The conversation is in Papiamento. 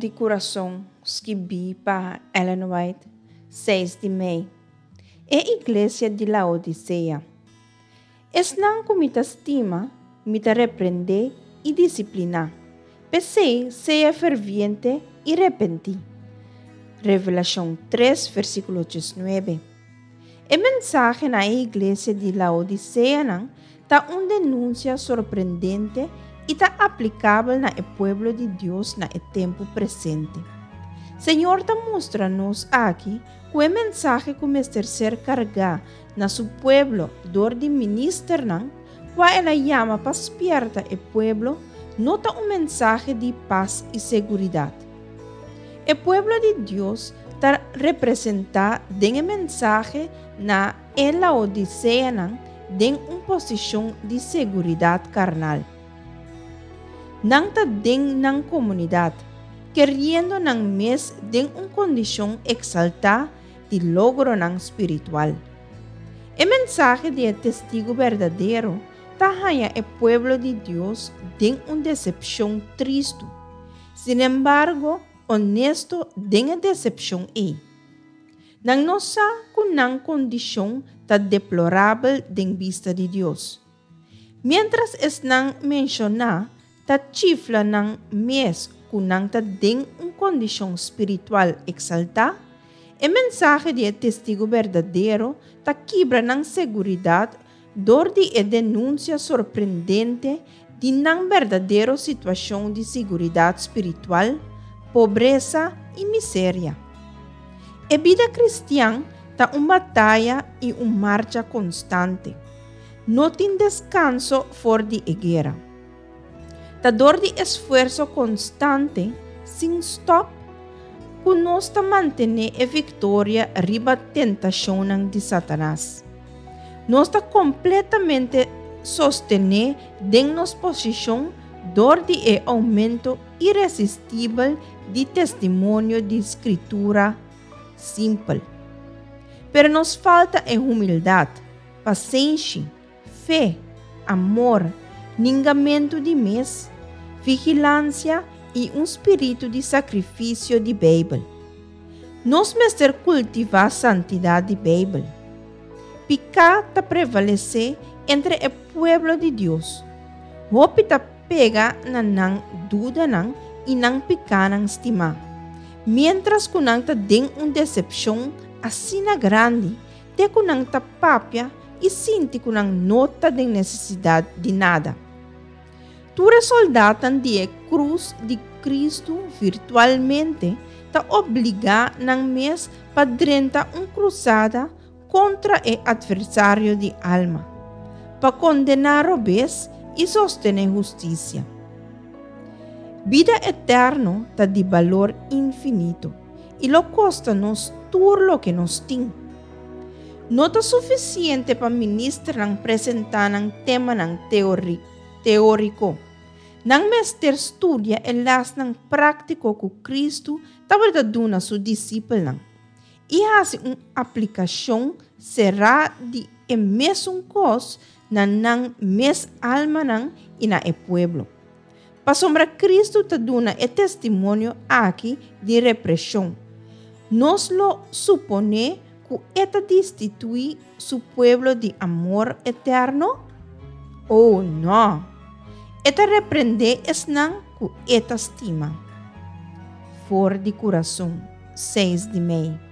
di Kurason skibí pa Ellen White, seis di mei. E Iglesia di Laodisea. Esnan ku mi ta stima, mi ta reprendé i disipliná. P'esei, sea ferviente i repentí. Revelashon tres, versíkulo diesnuebe. E mensahe na e iglesia di Laodiseanan ta un denunsia sorprendente i ta aplikabel na e pueblo di Dios na e tempu presente. Señor ta mustra nos aki ku e mensahe ku mester ser kargá na su pueblo dor di ministernan kua el a yama pa spièrta e pueblo no ta un mensahe di pas i seguridat. E pueblo di Dios ta representá den e mensahe na e Laodiseanan den un posishon di seguridat karnal. Nan ta den nan komunidat, keriendo nan mes den un kondishon eksaltá di logronan spiritual. E mensahe di e testigu berdadero ta haña e pueblo di Dios den un desepshon tristu, sinembargo onesto den e desepshon ei. Nan no sa ku nan kondishon ta deplorabel den bista di Dios. Miéntras esnan menshoná ta chifla nan mes ku nan ta den un kondishon spiritual eksaltá, e mensahe di e Testigu berdadero ta kibra nan seguridat dor di e denunsia sorprendente di nan berdadero situashon di siguridat spiritual, pobresa i miseria. E bida kristian ta un bataya i un marcha konstante. No tin deskanso for di e guera. Ta dor di esfuerso konstante, sin stòp, ku nos ta mantené e viktoria riba tentashonnan di Satanas. Nos ta kompletamente sostené den nos posishon dor di e oumento iresistibel di testimonio di Skritura simpel. Pero nos falta e humildat, pasenshi, fe, amor, ningamentu di mes, vigilansia i un spiritu di sakrifisio di Beibel. Nos mester kultivá santidat di Beibel. Piká ta prevalesé entre e pueblo di Dios. Hopi ta pega na nan dudanan i nan pikánan stimá, miéntras ku nan ta den un desepshon asina grandi te ku nan ta papia i sinti ku nan no ta den nesesidat di nada. Tur e soldatnan di e krus di Kristu virtualmente ta obligá nan mes pa drenta un krusada kontra e atversario di alma, pa kondená robes i sostené hustisia. Bida eterno ta di balor infinito i lo kosta nos tur loke nos tin. No ta sufisiente pa ministernan presentá nan temanan teóriko. Nan mester studia e lèsnan práktiko ku Kristu tabata duna su disipelnan i hasi un aplikashon será di e mesun kos na nan mes almanan i na e pueblo. Pasobra Kristu ta duna e testimonio aki di represhon, nos lo suponé ku e ta destituí su pueblo di amor eterno? Oh, nò! E ta reprendé esnan ku e ta stima. For di kurason, seis di mei.